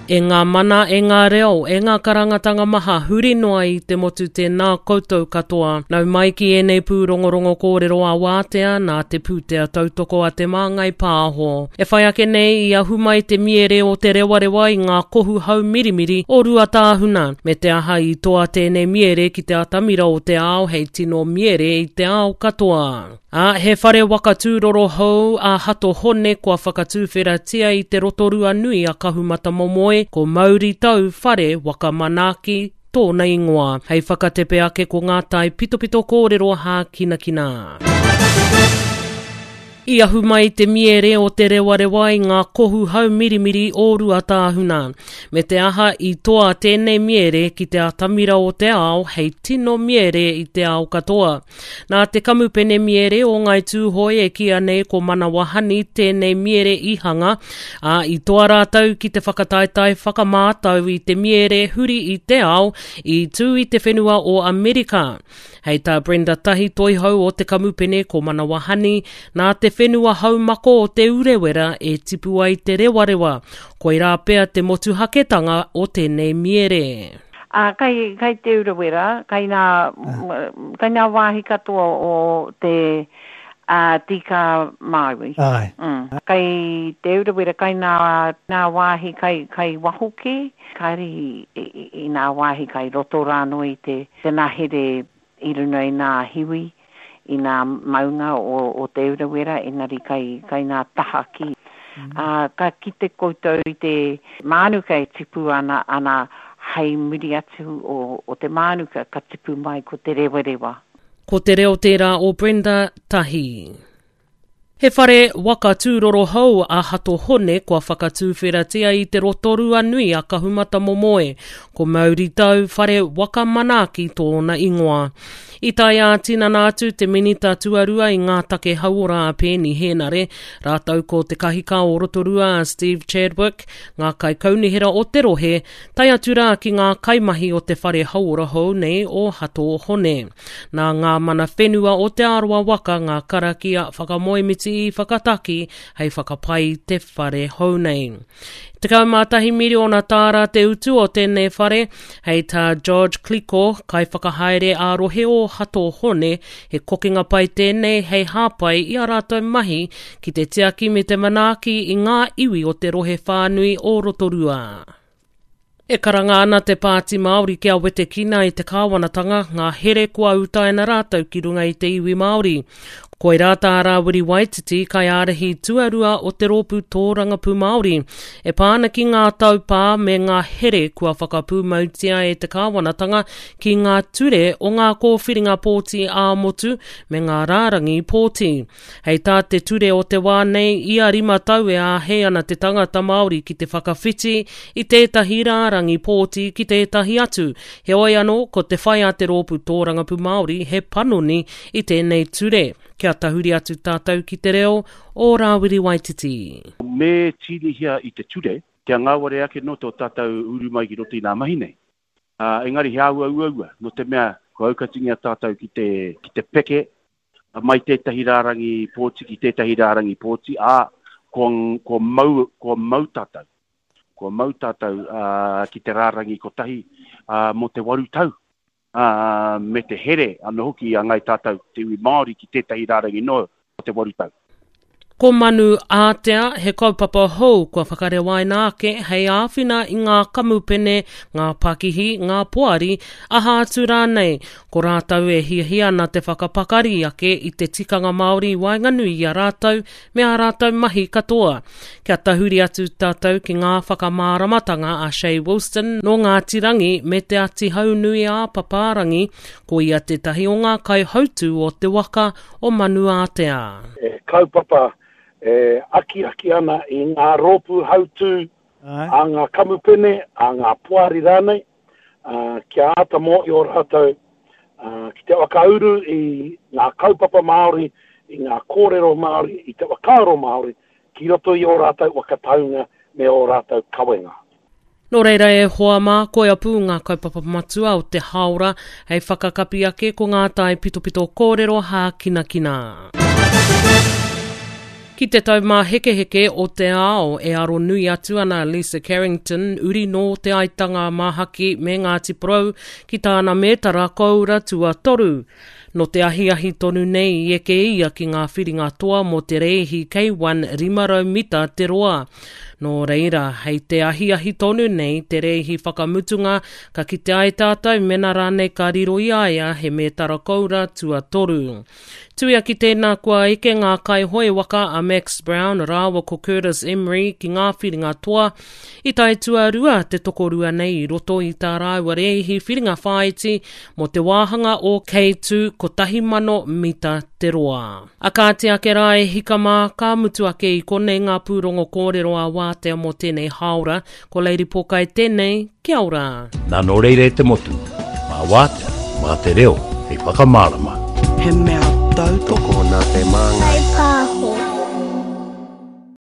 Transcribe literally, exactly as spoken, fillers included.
E ngā mana, e ngā reo, e ngā karangatanga maha huri noa i te motu tēnā koutou katoa. Nau mai ki ēnei pūrongorongo kōrero a wātea nā te pūtea tautoko a Te Māngai Pāho. E whai ake nei i ahu mai te miere o te rewarewa i ngā kohu haumirimiri o Ruatāhuna. Me te aha i toa tēnei miere ki te atamira o te ao hei tino miere i te ao katoa. Ā, he whare waka tūroro hou a Hato Hone kua whakatūwheratia i te Rotorua nui a Kahumatamomoe, ko Mauri Tau Whare Waka Manaaki tōna ingoa. Hei whakatepe ake ko ngā tai pitopito kōrero hākinakina. I ahu mai te miere o te rewarewa i ngā kohu haumirimiri o Ruatāhuna. Me te aha i toa tēnei miere ki te atamira o te ao hei tino miere i te ao katoa. Nā te kamupene miere o Ngai Tūhoe e kīa nei ko Manawa Honey tēnei miere i hanga, ā, i toa rātou ki te whakataetae whakamātau i te miere huri i te ao i tū i te whenua o Amerika. Hei tā Brenda Tahi Toihau o te kamupene ko Manawa Honey, nā te whenua haumako o Te Urewera e tipu ai te rewarewa. Koirā pea te motuhaketanga o tēnei miere. Ā, kai, kai Te Urewera, kai nā, kai nā wāhi katoa o te ā, Tīkā Māui. Āe. Mm. Kai Te Urewera, kai nā, nā wāhi kai, kai waho kē, kāre i, i, i nā wāhi kai roto rānō i te, te ngahere i runga i nā hiwi, i nā maunga o, o Te Urewera, engari kai, kai nā taha ki. Ā, ka kite koutou i te mānuka e tipu ana, ana hei muri atu o, o te mānuka ka tipu mai ko te rewarewa. Ko te reo tērā o Brenda Tahi. He whare waka tūroro hou a Hato Hone kua whakatūwheratia i te Rotorua nui a Kahumatamomoe. Ko Mauri Tau Whare Waka Manaaki tōna ingoa. I tae ā-tinana atu te minita tuarua i ngā take hauora a Peeni Henare, rātou ko te kahika o Rotorua a Steve Chadwick, ngā kaikaunihera o te rohe, tae atu rā ki ngā kaimahi o te whare hauora hou nei o Hato Hone. Nā ngā mana whenua o Te Arawa waka ngā karakia whakamoemiti i whakataki hei whakapai i te whare hou nei. Tekau mā tahi miriona tāra te utu o tēnei whare, hei tā George Clicko, kaiwhakahaere ā-rohe o Hato Hone, he kokenga pai tēnei hei hāpai i a rātou mahi ki te tiaki me te manaaki i ngā iwi o te rohe whānui o Rotorua. E karanga ana te Pāti Māori kia wetekina i te kāwanatanga ngā here kua utaina rātou ki runga i te iwi Māori. Koirā tā Rāwiri Waititi, kaiārahi tuarua o te rōpū tōrangapū Māori, e pā ana ki ngā taupā me ngā here kua whakapūmautia e te kāwanatanga ki ngā ture o ngā kōwhiringa pōti ā-motu me ngā rārangi pōti. Hei tā te ture o te wā nei, ia rima tau e āhei ana te tangata Māori ki te whakawhiti i tētahi rārangi pōti ki tētahi atu. Heoi anō, ko te whai a te rōpū tōrangapū Māori he panoni i tēnei ture. Kia tahuri atu tātou ki te reo o Rāwiri Waititi. Me tīnihia i te ture, kia ngāwari ake nō tō tātou uru mai ki roto i ngā mahi nei. Uh, engari he āhua uaua, nō te mea kua aukatingia tātou ki te, ki te peke mai tētahi rārangi pōti ki tētahi rārangi pōti, ā, kua, kua, mau, kua mau tātou. Kua mau tātou uh, ki te rārangi kotahi uh, mō te waru tau. Uh, me te here anō hoki a ngai tātou te iwi Māori ki tētahi rārangi noa o te waru tau. Ko Manu Ātea, he kaupapa hou kua whakarewaina ake hei āwhina i ngā kamupene, ngā pakihi, ngā poari, aha atu rānei. Ko rātou e hiahia ana te whakapakari ake i te tikanga Māori i waenganui i a rātou me ā rātou mahi katoa. Kia tahuri atu tātou ki ngā whakamāramatanga a Shay Wilson nō Ngāti Rangi me Te Ati Haunui a Papārangi, ko ia tētahi o ngā kaihautū o te waka o Manu Ātea. E kaupapa e akiaki ana i ngā rōpū hautū a ngā kamupene, a ngā poari rānei, kia āta mōhio rātou ki te whakauru i ngā kaupapa Māori, i ngā kōrero Māori, i te whakaaro Māori ki roto i ō rātou whakataunga me ō rātou kawenga. Nō reira e hoa mā, koia pū ngā kaupapa matua o te hāora hei whakakapi ake ko ngā tae pitopito kōrero hākinakina. Ki te taumāhekeheke o te ao e aro nui atu ana Lisa Carrington, uri nō Te Aitanga a Māhaki me Ngāti Porou, ki tāna mētara koura tuatoru. Nō te ahiahi tonu nei i eke ia ki ngā whiringa toa mō te rēhi K one rima rau mita te roa. Nō reira, hei te ahiahi tonu nei te rēhi whakamutunga ka kite ai tātou mena rānei ka riro i a ia he mētara koura tuatoru. Tuia ki tēnā kua eke ngā kaihoe waka a Max Brown rāua ko Curtis Emery ki ngā whiringa toa i tae tuarua te tokorua nei i roto i tā rāua rēhi whiringa whāiti mō te wāhanga o K two kotahi mano mita te roa. A kāti ake rā e hika mā, ka mutu ake i konei ngā pūrongo kōrero a wātea mō tēnei hāora, ko Lady Pōkai tēnei, kia ora. Nā nō reira e te motu, mā wātea, mā te reo, hei whakamārama. He mea tautoko Tokona te māngai. Whaipāho.